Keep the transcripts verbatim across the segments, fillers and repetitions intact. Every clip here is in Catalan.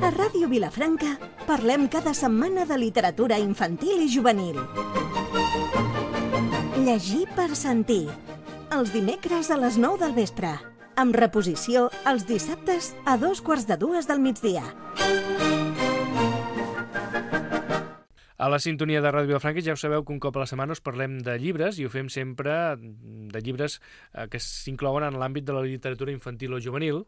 A Ràdio Vilafranca parlem cada setmana de literatura infantil i juvenil. Llegir per sentir. Els dimecres a les nou del vespre. Amb reposició els dissabtes a dos quarts de dues del migdia. A la sintonia de Ràdio Vilafranca ja ho sabeu que un cop a la setmana us parlem de llibres i ho fem sempre de llibres que s'inclouen en l'àmbit de la literatura infantil o juvenil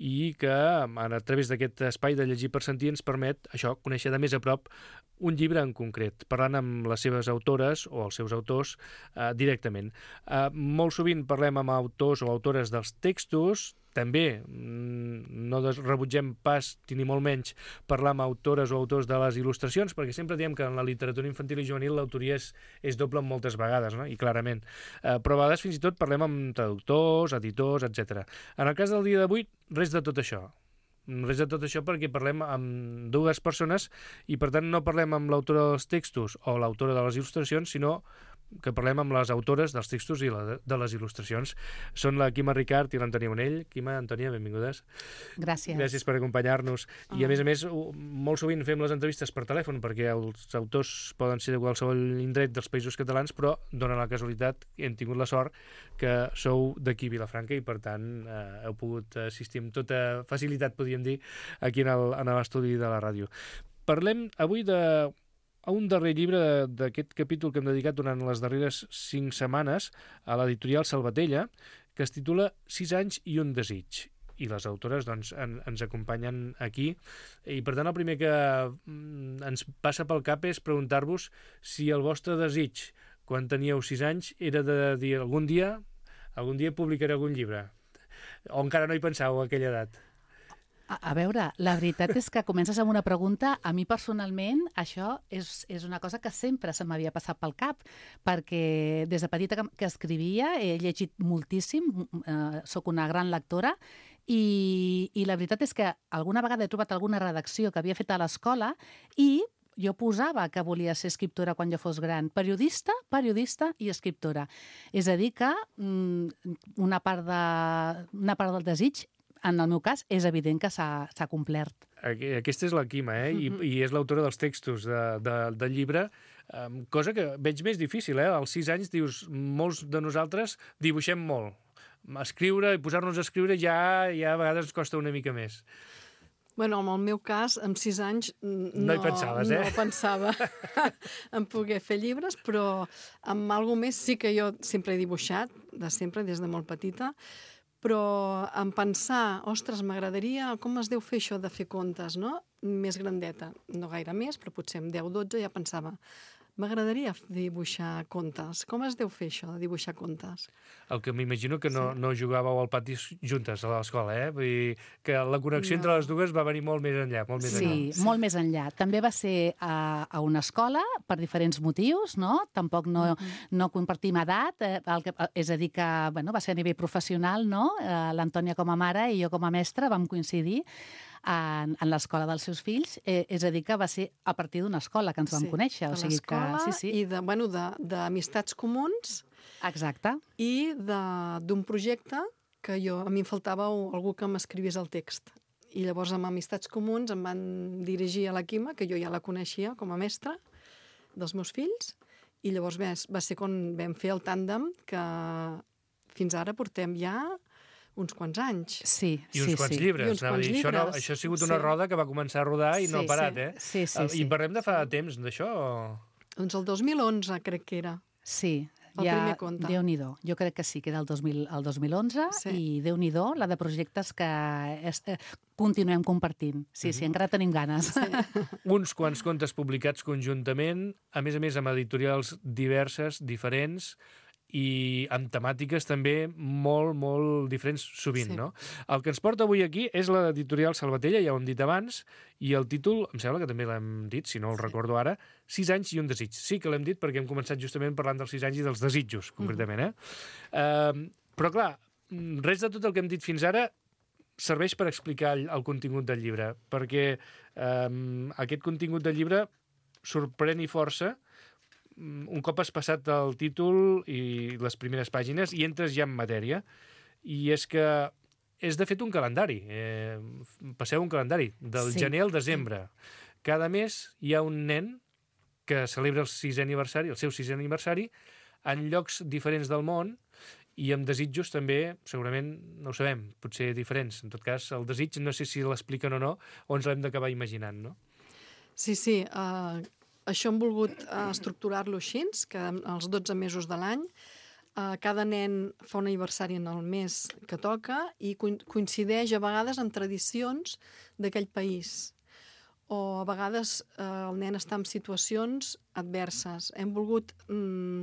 i que a través d'aquest espai de llegir per sentir ens permet això, conèixer de més a prop un llibre en concret, parlant amb les seves autores o els seus autors eh, directament. Eh, molt sovint parlem amb autors o autores dels textos, també no rebutgem pas, ni molt menys, parlar amb autores o autors de les il·lustracions, perquè sempre diem que en la literatura infantil i juvenil l'autoria és, és doble moltes vegades, no? I clarament. Eh, però a vegades fins i tot parlem amb traductors, editors, etcètera. En el cas del dia d'avui, res de tot això. Res de tot això perquè parlem amb dues persones i per tant no parlem amb l'autora dels textos o l'autora de les il·lustracions, sinó que parlem amb les autores dels textos i la, de les il·lustracions. Són la Quima Ricart i l'Antònia Bonell. Quima, Antònia, benvingudes. Gràcies. Gràcies per acompanyar-nos. Oh. I a més a més, molt sovint fem les entrevistes per telèfon perquè els autors poden ser de qualsevol indret dels països catalans, però dona la casualitat, hem tingut la sort que sou d'aquí Vilafranca i per tant eh, heu pogut assistir amb tota facilitat, podríem dir, aquí en l'estudi de la ràdio. Parlem avui de a un darrer llibre d'aquest capítol que hem dedicat durant les darreres cinc setmanes a l'editorial Salvatella, que es titula Sis anys i un desig. I les autores doncs, en, ens acompanyen aquí. I per tant el primer que ens passa pel cap és preguntar-vos si el vostre desig, quan teníeu sis anys, era de dir algun dia, algun dia publicaré algun llibre. O encara no hi pensàveu a aquella edat? A, a veure, la veritat és que comences amb una pregunta. A mi personalment això és, és una cosa que sempre se m'havia passat pel cap, perquè des de petita que, que escrivia he llegit moltíssim, eh, sóc una gran lectora, i, i la veritat és que alguna vegada he trobat alguna redacció que havia fet a l'escola i jo posava que volia ser escriptora quan jo fos gran. Periodista, periodista i escriptora. És a dir que mm, una, part de, una part del desig, en el meu cas, és evident que s'ha complert. Aquesta és la Quima, eh? I, uh-huh. I és l'autora dels textos de, de, del llibre, um, cosa que veig més difícil, eh? Als sis anys, dius, molts de nosaltres dibuixem molt. Escriure i posar-nos a escriure ja, ja a vegades ens costa una mica més. Bueno, en el meu cas, amb sis anys no, no hi pensaves, eh? no pensava en poder fer llibres, però amb alguna més sí que jo sempre he dibuixat, de sempre, des de molt petita, però en pensar, ostres, m'agradaria, com es deu fer això de fer contes, no? Més grandeta, no gaire més, però potser amb deu dotze ja pensava, m'agradaria dibuixar contes. Com es deu fer això, de dibuixar contes? El que m'imagino que no, sí. no jugàveu al pati juntes a l'escola, eh? Vull dir que la connexió no. entre les dues va venir molt més enllà. Molt més sí, enllà. sí, molt més enllà. També va ser a, a una escola per diferents motius, no? Tampoc no, mm-hmm. no compartim edat, eh, el que, és a dir que bueno, va ser a nivell professional, no? Eh, L'Antònia com a mare i jo com a mestra vam coincidir en, en l'escola dels seus fills, eh, és a dir que va ser a partir d'una escola que ens vam sí, conèixer. De o sigui l'escola que, sí, sí. i de, bueno, d'amistats comuns. Exacte. I d'un projecte que jo, a mi em faltava algú que m'escrivís el text. I llavors amb amistats comuns em van dirigir a la Quima, que jo ja la coneixia com a mestra dels meus fills, i llavors va, va ser quan vam fer el tàndem que fins ara portem ja uns quants anys. Sí, I uns sí, quants sí. llibres. I uns quants dir, llibres. Això, no, això ha sigut una sí. roda que va començar a rodar i sí, no ha parat, sí. eh? Sí, sí, sí. I parlem de fa temps d'això? Doncs el dos mil onze crec que era. Sí. El ja, primer conte. Déu-n'hi-do. Jo crec que sí, que era el dos mil, el dos mil onze sí. i Déu-n'hi-do la de projectes que es, eh, continuem compartint. Sí, mm-hmm. sí, encara tenim ganes. Sí. Uns quants contes publicats conjuntament, a més a més amb editorials diverses, diferents, i amb temàtiques també molt, molt diferents sovint, sí. no? El que ens porta avui aquí és l'editorial Salvatella, ja ho hem dit abans, i el títol, em sembla que també l'hem dit, si no el sí. recordo ara, Sis anys i un desig. Sí que l'hem dit perquè hem començat justament parlant dels sis anys i dels desitjos, concretament, eh? Uh, però clar, res de tot el que hem dit fins ara serveix per explicar el, el contingut del llibre, perquè um, aquest contingut del llibre sorprèn i força un cop has passat el títol i les primeres pàgines i entres ja en matèria, i és que és de fet un calendari. Eh, passeu un calendari del Sí. gener al desembre. Cada mes hi ha un nen que celebra el sisè aniversari, el seu sisè aniversari, en llocs diferents del món i amb desitjos també, segurament, no ho sabem, potser diferents. En tot cas, el desig no sé si l'expliquen o no, o ens l'hem d'acabar imaginant, no? Sí, sí. Uh, això hem volgut uh, estructurar-lo així, que els dotze mesos de l'any uh, cada nen fa un aniversari en el mes que toca i coincideix a vegades amb tradicions d'aquell país. O a vegades eh, el nen està en situacions adverses. Hem volgut mm,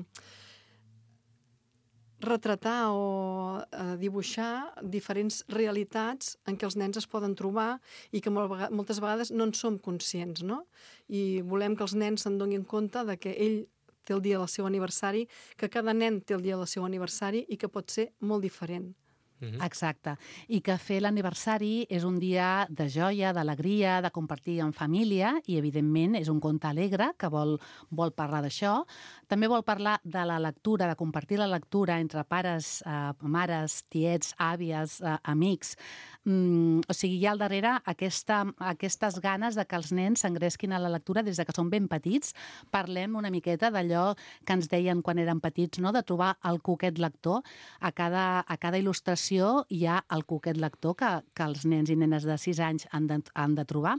retratar o eh, dibuixar diferents realitats en què els nens es poden trobar i que moltes vegades no en som conscients, no? I volem que els nens se'n donin compte de que ell té el dia del seu aniversari, que cada nen té el dia del seu aniversari i que pot ser molt diferent. Mm-hmm. Exacte. I que fer l'aniversari és un dia de joia, d'alegria, de compartir en família i, evidentment, és un conte alegre que vol, vol parlar d'això. També vol parlar de la lectura, de compartir la lectura entre pares, eh, mares, tiets, àvies, eh, amics. Mm, o sigui, hi ha al darrere aquesta, aquestes ganes de que els nens s'engresquin a la lectura des de que són ben petits. Parlem una miqueta d'allò que ens deien quan érem petits, no? De trobar el cuquet lector. A cada, a cada il·lustració hi ha el cuquet lector que, que els nens i nenes de sis anys han de, han de trobar.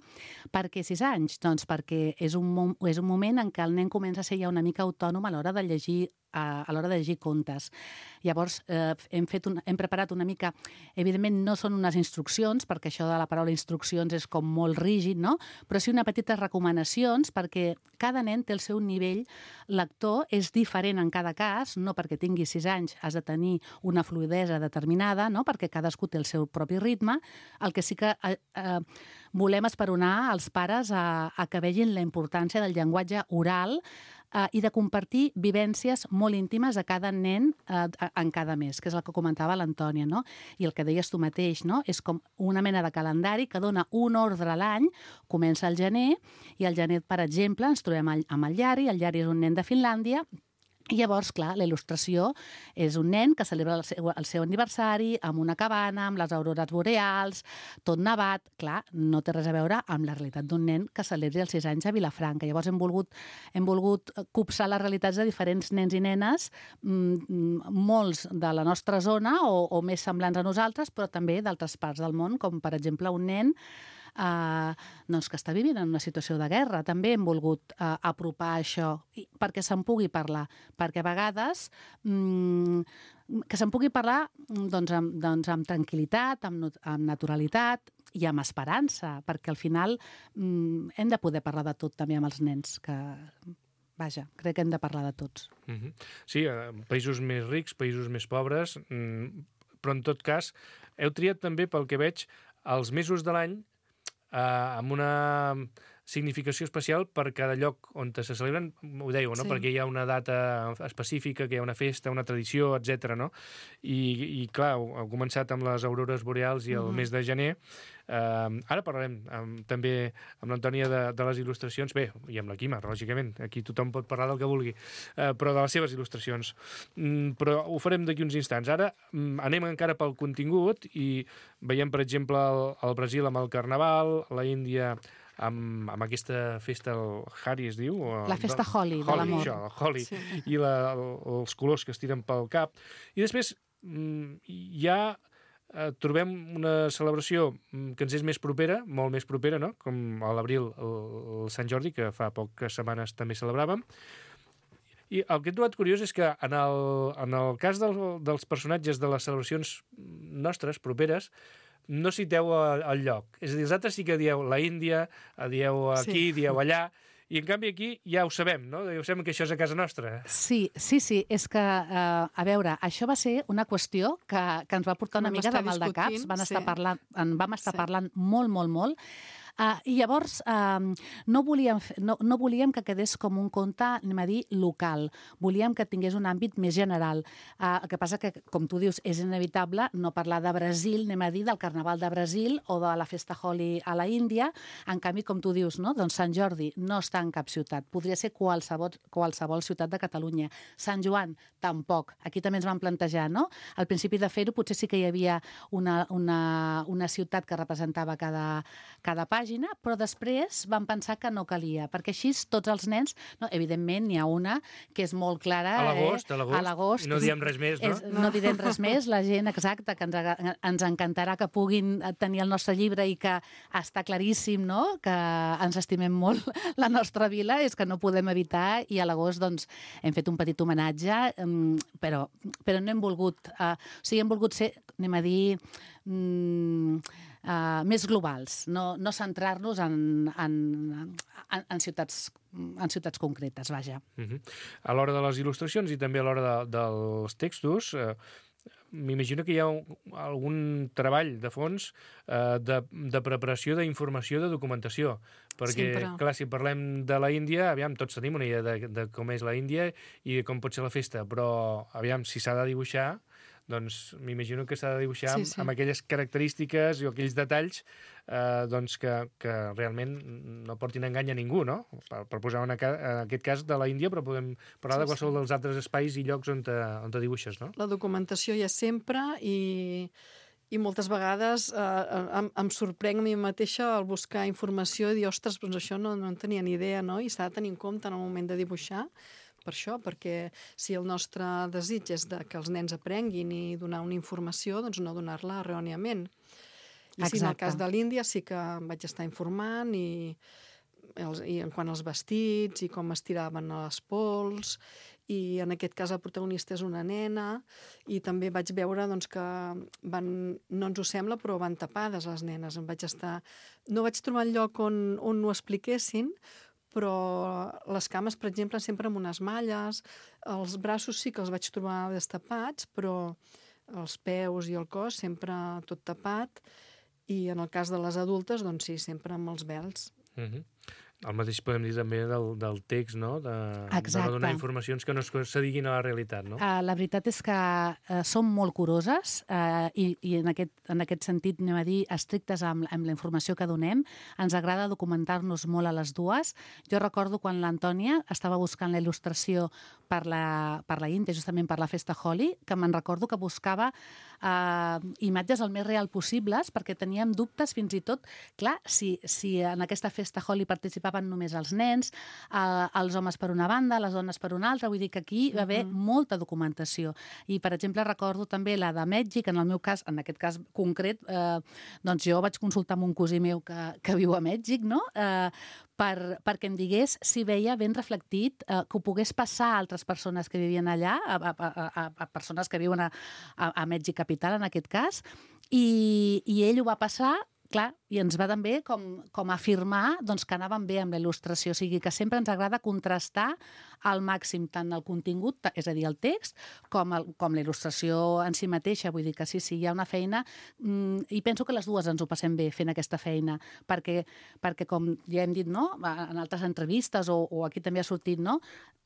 Per què sis anys? Doncs perquè és un, és un moment en què el nen comença a ser ja una mica autònom a l'hora de llegir a, a l'hora de llegir contes. Llavors, eh, hem, fet un, hem preparat una mica... Evidentment, no són unes instruccions, perquè això de la paraula instruccions és com molt rígid, no? Però sí una petites recomanacions, perquè cada nen té el seu nivell lector, és diferent en cada cas, no perquè tinguis sis anys has de tenir una fluidesa determinada, no? Perquè cadascú té el seu propi ritme. El que sí que eh, eh, volem esperonar als pares a, a que vegin la importància del llenguatge oral Uh, i de compartir vivències molt íntimes a cada nen uh, en cada mes, que és el que comentava l'Antònia, no? I el que deies tu mateix, no? És com una mena de calendari que dona un ordre a l'any, comença el gener, i al gener, per exemple, ens trobem amb el Llari, el Llari és un nen de Finlàndia, i llavors, clar, la il·lustració és un nen que celebra el seu, el seu aniversari amb una cabana, amb les aurores boreals, tot nevat. Clar, no té res a veure amb la realitat d'un nen que celebri els sis anys a Vilafranca. Llavors hem volgut, hem volgut copsar les realitats de diferents nens i nenes, mmm, molts de la nostra zona o, o més semblants a nosaltres, però també d'altres parts del món, com per exemple un nen Uh, doncs que està vivint en una situació de guerra. També hem volgut uh, apropar això perquè se'n pugui parlar, perquè a vegades mm, que se'n pugui parlar doncs, amb, doncs, amb tranquil·litat, amb, amb naturalitat i amb esperança, perquè al final mm, hem de poder parlar de tot també amb els nens, que vaja, crec que hem de parlar de tots. Mm-hmm. Sí, uh, països més rics, països més pobres, mm, però en tot cas heu triat també, pel que veig, els mesos de l'any Uh, amb una significació especial per cada lloc on se celebren, ho dèieu, no? Sí. Perquè hi ha una data específica, que hi ha una festa, una tradició, etcètera, no? I, i clar, heu començat amb les aurores boreals i el uh-huh. mes de gener. Uh, ara parlarem amb, també amb l'Antònia de, de les il·lustracions, bé, i amb la Quima, lògicament, aquí tothom pot parlar del que vulgui, uh, però de les seves il·lustracions. Mm, però ho farem d'aquí uns instants. Ara mm, anem encara pel contingut i veiem, per exemple, el, el Brasil amb el Carnaval, la Índia amb, amb aquesta festa, el Hari es diu? O, la festa de, Holi, Holi, de l'amor. Això, el Holi, sí. I la, el, els colors que es tiren pel cap. I després mm, ja eh, trobem una celebració que ens és més propera, molt més propera, no? Com a l'abril, el, el Sant Jordi, que fa poques setmanes també celebràvem. I el que he trobat curiós és que en el, en el cas del, dels personatges de les celebracions nostres, properes, no citeu el lloc. És a dir, els altres sí que dieu la Índia, dieu aquí, sí. dieu allà, i en canvi aquí ja ho sabem, no? Ja ho sabem que això és a casa nostra. Sí, sí, sí. És que, uh, a veure, això va ser una qüestió que, que ens va portar una vam mica de mal de caps. Van estar sí. parlant, en vam estar sí. parlant molt, molt, molt. Uh, I llavors uh, no, volíem, no, no volíem que quedés com un conte, anem a dir, local. Volíem que tingués un àmbit més general. Uh, el que passa que, com tu dius, és inevitable no parlar de Brasil, anem a dir, del Carnaval de Brasil o de la Festa Holi a la Índia. En canvi, com tu dius, no? Doncs Sant Jordi no està en cap ciutat. Podria ser qualsevol, qualsevol ciutat de Catalunya. Sant Joan, tampoc. Aquí també ens vam plantejar, no? Al principi de fer-ho potser sí que hi havia una, una, una ciutat que representava cada, cada pàgina, però després vam pensar que no calia, perquè així tots els nens, no, evidentment n'hi ha una que és molt clara. A l'agost, eh? a l'agost. I no diem res més, no? És, no direm res més. La gent, exacte, que ens, ens encantarà que puguin tenir el nostre llibre i que està claríssim, no?, que ens estimem molt la nostra vila, és que no podem evitar, i a l'agost doncs, hem fet un petit homenatge, però, però no hem volgut... Uh, o sigui, hem volgut ser, anem a dir, mm, uh, més globals, no, no centrar-nos en, en, en, en, ciutats, en ciutats concretes, vaja. Uh-huh. A l'hora de les il·lustracions i també a l'hora de, dels textos, eh, m'imagino que hi ha un, algun treball de fons eh, de, de preparació d'informació, de documentació, perquè, Sempre. clar, si parlem de la Índia, aviam, tots tenim una idea de, de com és la Índia i de com pot ser la festa, però, aviam, si s'ha de dibuixar, doncs m'imagino que s'ha de dibuixar Sí, amb, sí. amb aquelles característiques i aquells detalls eh, doncs que, que realment no portin engany a ningú, no? Per, per posar una, en aquest cas de la Índia, però podem parlar Sí, de qualsevol sí. dels altres espais i llocs on te, on te dibuixes, no? La documentació hi ha sempre i, i moltes vegades eh, em, em sorprenc a mi mateixa al buscar informació i dir, ostres, doncs això no, no en tenia ni idea, no? I s'ha de tenir en compte en el moment de dibuixar, per això, perquè si el nostre desig és de que els nens aprenguin i donar una informació, doncs no donar-la erròniament. I sí, en el cas de l'Índia sí que em vaig estar informant i, els, i en quant als vestits i com es tiraven a les pols, i en aquest cas el protagonista és una nena, i també vaig veure doncs, que van, no ens ho sembla, però van tapades les nenes. Em vaig estar... No vaig trobar el lloc on, on ho expliquessin, però les cames, per exemple, sempre amb unes malles, els braços sí que els vaig trobar destapats, però els peus i el cos sempre tot tapat, i en el cas de les adultes, doncs sí, sempre amb els vels. Uh-huh. El mateix podem dir també del, del text, no? De, de no donar informacions que no s'adiguin a la realitat, no? Uh, la veritat és que uh, som molt curoses uh, i, i en, aquest, en aquest sentit, anem a dir, estrictes amb, amb la informació que donem. Ens agrada documentar-nos molt a les dues. Jo recordo quan l'Antònia estava buscant la il·lustració per la, per la Índia, justament per la Festa Holi, que me'n recordo que buscava uh, imatges el més real possibles, perquè teníem dubtes fins i tot, clar, si, si en aquesta Festa Holi participaven només els nens, eh, els homes per una banda, les dones per una altra, vull dir que aquí hi va haver uh-huh. molta documentació. I, per exemple, recordo també la de Mèxic, en el meu cas, en aquest cas concret, eh, doncs jo vaig consultar amb un cosí meu que, que viu a Mèxic, no?, eh, per, perquè em digués si veia ben reflectit eh, que ho pogués passar a altres persones que vivien allà, a, a, a, a persones que viuen a, a, a Mèxic capital, en aquest cas, i, i ell ho va passar, clar, i ens va també com, com afirmar doncs, que anàvem bé amb la il·lustració. O sigui que sempre ens agrada contrastar al màxim tant el contingut, és a dir, el text, com, el, com la il·lustració en si mateixa. Vull dir que sí, sí, hi ha una feina, mmm, i penso que les dues ens ho passem bé fent aquesta feina, perquè, perquè com ja hem dit, no?, en altres entrevistes, o, o aquí també ha sortit, no?,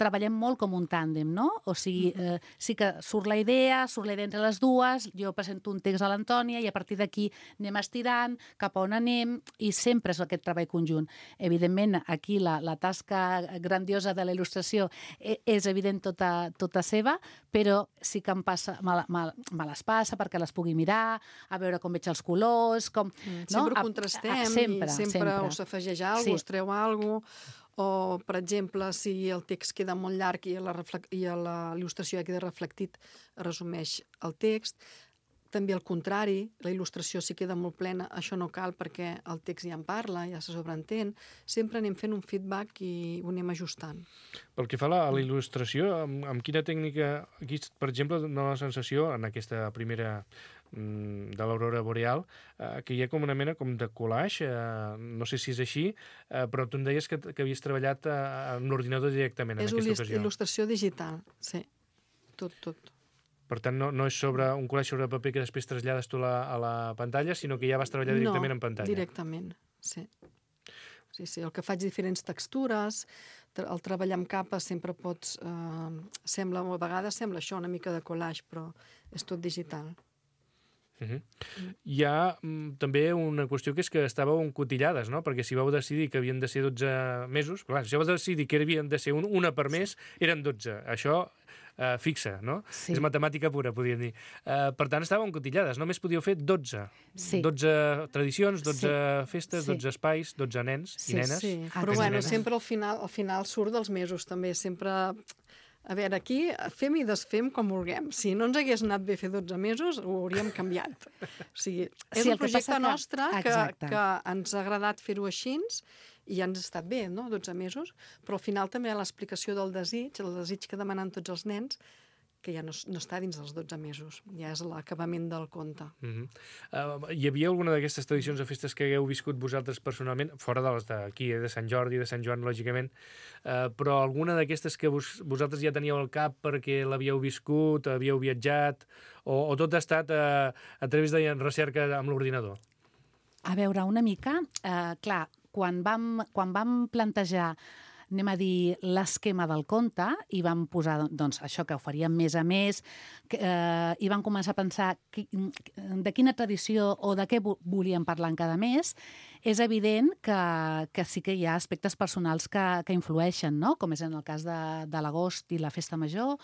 treballem molt com un tàndem, no? O sigui, eh, sí que surt la idea, surt la idea entre les dues, jo presento un text a l'Antònia i a partir d'aquí anem estirant, cap a on anem, i sempre és aquest treball conjunt. Evidentment, aquí la, la tasca grandiosa de la il·lustració és evident tota, tota seva, però sí que em passa, me, me, me les passa perquè les pugui mirar, a veure com veig els colors, com... Mm, no? sempre ho contrastem, a, a, sempre, i sempre, sempre. us afegeix alguna cosa, sí. us treu alguna cosa, o, per exemple, si el text queda molt llarg i la, i la il·lustració ja queda reflectit, resumeix el text. També al contrari, la il·lustració si queda molt plena, això no cal perquè el text ja en parla, ja se sobreentén. Sempre anem fent un feedback i ho anem ajustant. Pel que fa a la, a la il·lustració, amb, amb quina tècnica, aquí, per exemple, dona la sensació, en aquesta primera mm, de l'Aurora Boreal, eh, que hi ha com una mena com de collage, eh, no sé si és així, eh, però tu em deies que, que havies treballat eh, en l'ordinador directament en és aquesta ocasió. És il·lustració digital, sí, tot, tot. Per tant, no, no és sobre un collage sobre paper que després trasllades tu la, a la pantalla, sinó que ja vas treballar directament no, en pantalla. No, directament, sí. sí, sí. El que faig diferents textures, el treballar amb capes sempre pots... Eh, sembla, a vegades sembla això, una mica de collage, però és tot digital. Uh -huh. Mm. Hi ha mm, també una qüestió que és que estàveu encotillades, no? Perquè si vau decidir que havien de ser dotze mesos, clar, si vau decidir que havien de ser un, una per mes, eren dotze. Això eh, fixa, no? Sí. És matemàtica pura, podríem dir. Eh, per tant, estàveu encotillades, només podíeu fer dotze. Sí. dotze tradicions, dotze sí. festes, sí. dotze espais, dotze nens sí, i nenes. Sí, Ah, però sí. bueno, nenes. sempre al final, al final surt dels mesos, també, sempre... A veure, aquí fem i desfem com vulguem. Si no ens hagués anat bé fer dotze mesos, ho hauríem canviat. O sigui, és Sí, un el que projecte passa que- nostre que, Exacte. que ens ha agradat fer-ho així i ja ens ha estat bé, no?, dotze mesos, però al final també hi ha l'explicació del desig, el desig que demanen tots els nens, que ja no, no està dins dels dotze mesos, ja és l'acabament del conte. Uh -huh. uh, hi havia alguna d'aquestes tradicions o festes que hagueu viscut vosaltres personalment, fora de les d'aquí, eh, de Sant Jordi, de Sant Joan, lògicament, uh, però alguna d'aquestes que vos, vosaltres ja teníeu al cap perquè l'havíeu viscut, havíeu viatjat, o, o tot ha estat uh, a través de recerca amb l'ordinador? A veure, una mica, eh, clar, quan vam, quan vam plantejar anem a dir, l'esquema del conte i vam posar, doncs, això que ho faríem mes a mes que, eh, i vam començar a pensar qui, de quina tradició o de què volíem parlar en cada mes. És evident que, que sí que hi ha aspectes personals que, que influeixen, no? Com és en el cas de, de l'agost i la festa major,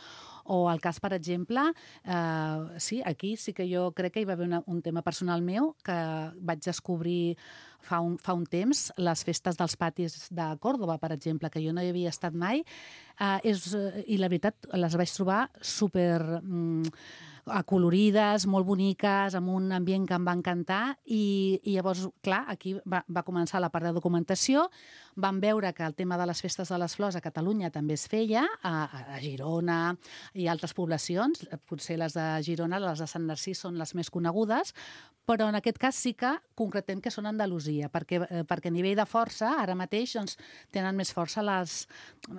o el cas, per exemple, eh, sí, aquí sí que jo crec que hi va haver una, un tema personal meu que vaig descobrir fa un, fa un temps, les festes dels patis de Còrdova, per exemple, que jo no hi havia estat mai, eh, és, i la veritat les vaig trobar super mm, acolorides, molt boniques, amb un ambient que em va encantar, i, i llavors, clar, aquí va, va començar la part de documentació, vam veure que el tema de les festes de les flors a Catalunya també es feia, a, a Girona i altres poblacions, potser les de Girona, les de Sant Narcís són les més conegudes, però en aquest cas sí que concretem que són Andalusia, perquè, eh, perquè a nivell de força, ara mateix, doncs, tenen més força les,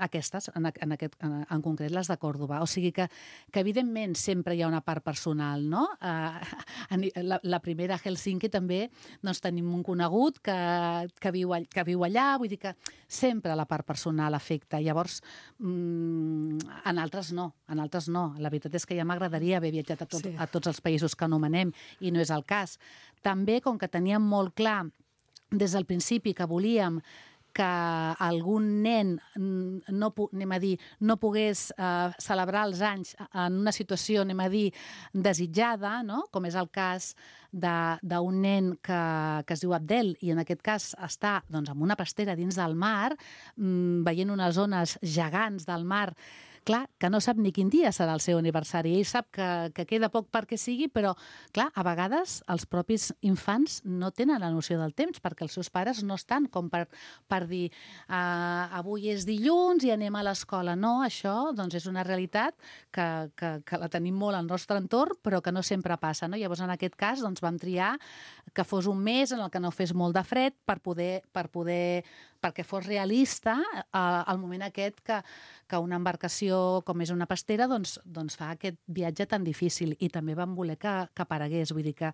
aquestes, en, en, aquest, en, en concret les de Còrdova. O sigui que, que evidentment sempre hi ha una part personal, no? Eh, la, la primera a Helsinki també doncs, tenim un conegut que, que, viu, que viu allà, vull dir que sempre la part personal afecta. Llavors, mmm, en altres no, en altres no. La veritat és que ja m'agradaria haver viatjat a, tot, sí. a tots els països que anomenem i no és el cas. També, com que teníem molt clar des del principi que volíem que algun nen no, anem a dir, no pogués eh, celebrar els anys en una situació, anem a dir, desitjada, no? Com és el cas d'un nen que, que es diu Abdel i en aquest cas està doncs, en una pastera dins del mar, mmm, veient unes ones gegants del mar. Clar, que no sap ni quin dia serà el seu aniversari. Ell sap que, que queda poc perquè sigui, però, clar, a vegades els propis infants no tenen la noció del temps perquè els seus pares no estan com per, per dir uh, avui és dilluns i anem a l'escola. No, això doncs, és una realitat que, que, que la tenim molt al nostre entorn, però que no sempre passa. No? Llavors, en aquest cas, doncs, vam triar que fos un mes en el que no fes molt de fred per poder, per poder perquè fos realista uh, el moment aquest que, que una embarcació com és una pastera, doncs, doncs fa aquest viatge tan difícil i també vam voler que, que aparegués. Vull dir que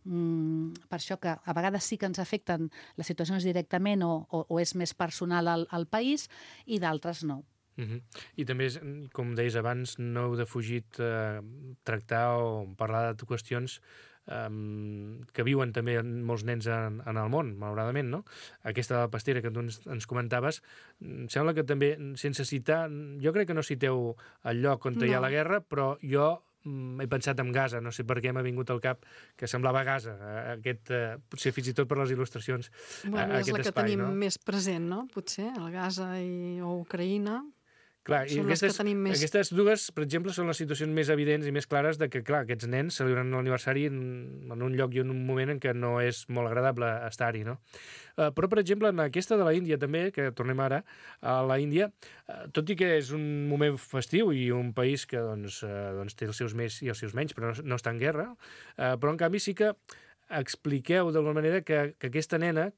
mm, per això que a vegades sí que ens afecten les situacions directament o, o, o és més personal al, al país i d'altres no. Uh-huh. I també, com deies abans, no heu defugit eh, tractar o parlar de qüestions Um, que viuen també molts nens en, en el món, malauradament, no? Aquesta de la pastera que tu ens, ens comentaves, sembla que també, sense citar, jo crec que no citeu el lloc on no. hi ha la guerra, però jo mm, he pensat en Gaza, no sé per què m'ha vingut al cap que semblava Gaza, aquest, eh, potser fins i tot per les il·lustracions, bueno, aquest és la que espai, tenim no? més present, no? Potser, el Gaza i, o Ucraïna. Clar, i aquestes, més... aquestes dues, per exemple, són les situacions més evidents i més clares de que, clar, aquests nens celebren l'aniversari en, en un lloc i en un moment en què no és molt agradable estar-hi, no? Uh, però, per exemple, en aquesta de la Índia també, que tornem ara a la Índia, uh, tot i que és un moment festiu i un país que doncs, uh, doncs té els seus més i els seus menys, però no, no està en guerra, uh, però en canvi sí que expliqueu d'alguna manera que, que aquesta nena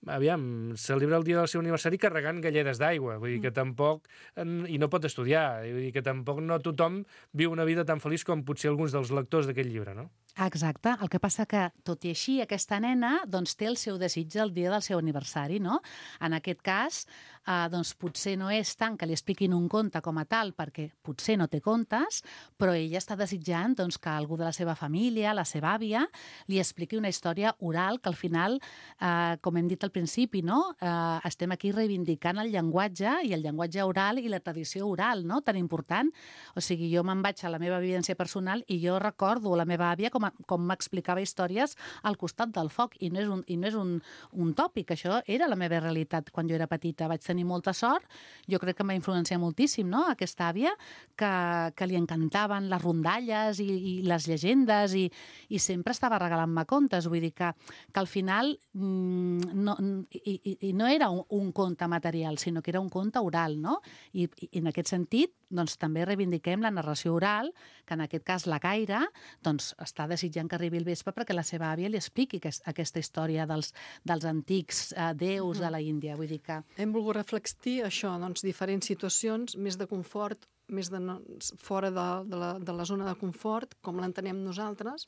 aviam, celebra el dia del seu aniversari carregant galledes d'aigua, vull dir que tampoc, i no pot estudiar, vull dir que tampoc no tothom viu una vida tan feliç com potser alguns dels lectors d'aquest llibre, no? Exacte, el que passa que, tot i així, aquesta nena doncs, té el seu desig el dia del seu aniversari, no? En aquest cas, eh, doncs, potser no és tant que li expliquin un conte com a tal, perquè potser no té contes, però ella està desitjant doncs, que algú de la seva família, la seva àvia, li expliqui una història oral que al final, eh, com hem dit al principi, no? eh, estem aquí reivindicant el llenguatge i el llenguatge oral i la tradició oral, no? Tan important. O sigui, jo me'n vaig a la meva vivència personal i jo recordo la meva àvia com, a, com m'explicava històries al costat del foc, i no és, un, i no és un, un tòpic, això era la meva realitat quan jo era petita. Vaig tenir molta sort, jo crec que em va influenciar moltíssim, no?, aquesta àvia, que, que li encantaven les rondalles i, i les llegendes i, i sempre estava regalant-me contes. Vull dir que, que al final mmm, no, i, i, i no era un, un conte material, sinó que era un conte oral, no? I, i en aquest sentit, doncs, també reivindiquem la narració oral, que en aquest cas la Caire doncs, està desitjant que arribi el vespre perquè la seva àvia li expliqui aquest, aquesta història dels, dels antics eh, déus de la Índia. Vull dir que... Hem volgut reflectir això, doncs, diferents situacions, més de confort, més de no, fora de, de, la, de la zona de confort, com l'entenem nosaltres,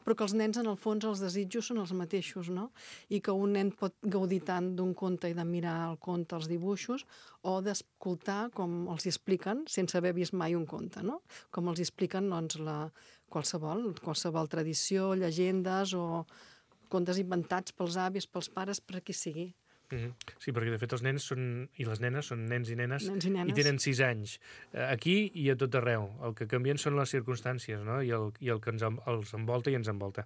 però que els nens, en el fons, els desitjos són els mateixos, no? I que un nen pot gaudir tant d'un conte i de mirar el conte, els dibuixos, o d'escoltar com els expliquen, sense haver vist mai un conte, no? Com els expliquen, doncs, la, qualsevol, qualsevol tradició, llegendes o contes inventats pels avis, pels pares, per a qui sigui. Mm-hmm. Sí, perquè de fet els nens són, i les nenes són nens i nenes, nens i, nenes. i tenen sis anys. Aquí i a tot arreu. El que canvien són les circumstàncies, no? I, el, i el que ens, els envolta i ens envolta.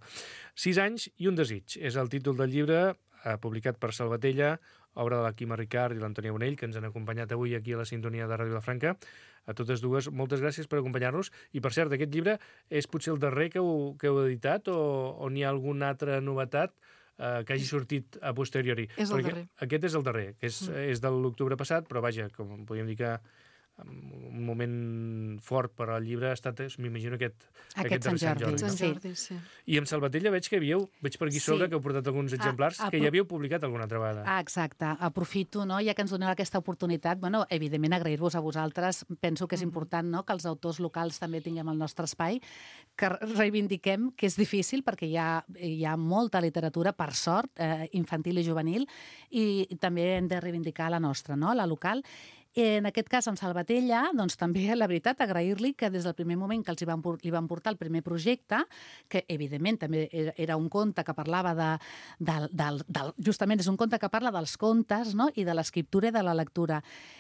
Sis anys i un desig. És el títol del llibre, eh, publicat per Salvatella, obra de la Quima Ricart i l'Antònia Bonell, que ens han acompanyat avui aquí a la sintonia de Ràdio Vilafranca. A totes dues, moltes gràcies per acompanyar-nos. I, per cert, aquest llibre és potser el darrer que heu, que heu editat o, o n'hi ha alguna altra novetat Uh, que hagi sortit a posteriori. És el darrer. Aquest és el darrer, que és, mm. és de l'octubre passat, però vaja, com podríem dir que un moment fort per al llibre ha estat, m'imagino, aquest, aquest, aquest Sant Jordi. Sant Jordi, no? Sant Jordi, sí. I amb Salvatella veig que havíeu, veig per aquí Sí. sobre que heu portat alguns exemplars Ah, que ja havíeu publicat alguna altra vegada. Ah, exacte. Aprofito, no?, ja que ens doneu aquesta oportunitat, bueno, evidentment agrair-vos a vosaltres. Penso que és important, no?, que els autors locals també tinguem el nostre espai, que reivindiquem, que és difícil perquè hi ha, hi ha molta literatura, per sort, eh, infantil i juvenil, i també hem de reivindicar la nostra, no?, la local. En aquest cas, amb Salvatella, doncs també, la veritat, agrair-li que des del primer moment que els hi van, li van portar el primer projecte, que evidentment també era un conte que parlava de, de, de, de... Justament és un conte que parla dels contes, no?, i de l'escriptura i de la lectura.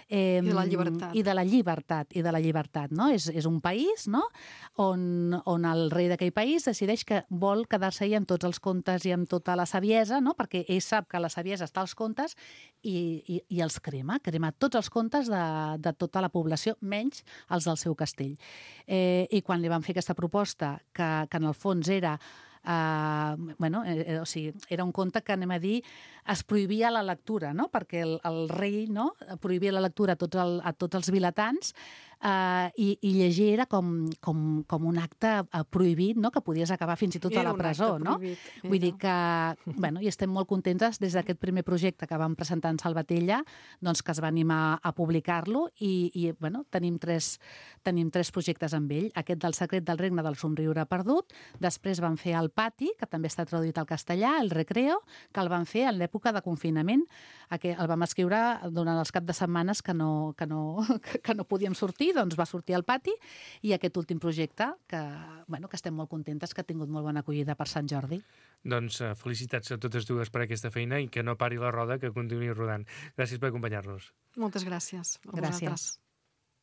Eh, I de la llibertat. I de la llibertat, i de la llibertat, no? És, és un país, no?, on, on el rei d'aquell país decideix que vol quedar-se-hi amb tots els contes i amb tota la saviesa, no?, perquè ell sap que la saviesa està als contes i, i, i els crema, crema tots els contes de, de tota la població, menys els del seu castell. Eh, I quan li van fer aquesta proposta, que, que en el fons era Uh, bueno, eh, o sigui, era un conte que, anem a dir, es prohibia la lectura, no?, perquè el, el rei, no?, prohibia la lectura a tots, el, a tots els vilatans, uh, i, i llegir era com, com, com un acte prohibit, no?, que podies acabar fins i tot era a la presó, no? Prohibit, Vull dir que, bueno, i estem molt contentes des d'aquest primer projecte que vam presentar en Salvatella, doncs que es va animar a publicar-lo i, i bueno, tenim tres, tenim tres projectes amb ell. Aquest del Secret del Regne del Somriure Perdut, després vam fer el Pati, que també està traduït al castellà, el Recreo, que el van fer en l'època de confinament, que el vam escriure durant els caps de setmanes que no, que no, que no podíem sortir, doncs va sortir al Pati, i aquest últim projecte, que, bueno, que estem molt contentes, que ha tingut molt bona acollida per Sant Jordi. Doncs uh, felicitats a totes dues per aquesta feina i que no pari la roda, que continuï rodant. Gràcies per acompanyar-nos. Moltes gràcies a Gràcies. vosaltres.